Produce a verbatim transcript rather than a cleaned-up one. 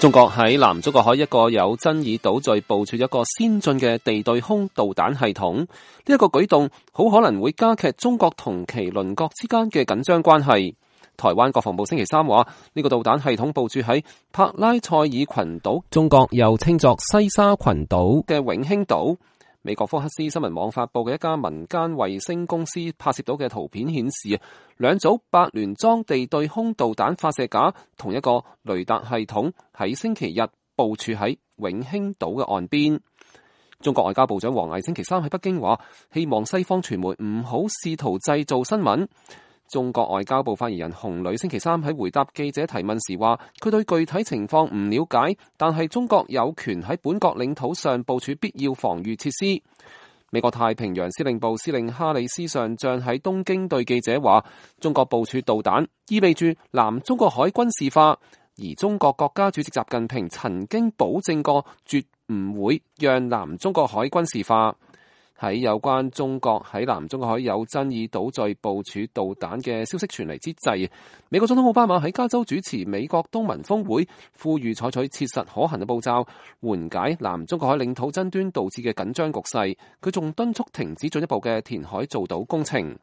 中國喺南中國海一個有爭議島嶼部署一個先進嘅地對空導彈系統，呢一個舉動好可能會加劇中國同其鄰國之間嘅緊張關係。台灣國防部星期三話，呢個導彈系統部署喺帕拉塞爾群島，中國又稱作西沙群島嘅永興島。美國福克斯新聞網發佈嘅一家民間衛星公司拍攝到嘅圖片顯示，兩組八聯裝地對空導彈發射架同一個雷達系統喺星期日部署喺永興島嘅岸邊。中國外交部長王毅星期三喺北京話，希望西方傳媒唔好試圖製造新聞。中國外交部發言人洪磊星期三喺回答記者提問時話，佢對具體情況唔了解，但係中國有權喺本國領土上部署必要防禦設施。美國太平洋司令部司令哈里斯上將喺東京對記者話，中國部署導彈意味住南中國海軍事化，而中國國家主席習近平曾經保證過絕唔會讓南中國海軍事化。喺有關中國喺南中國海有爭議島嶼部署導彈嘅消息傳嚟之際，美國總統奧巴馬喺加州主持美國東盟峰會，呼籲採取切實可行嘅步驟，緩解南中國海領土爭端導致嘅緊張局勢。佢仲敦促停止進一步嘅填海造島工程。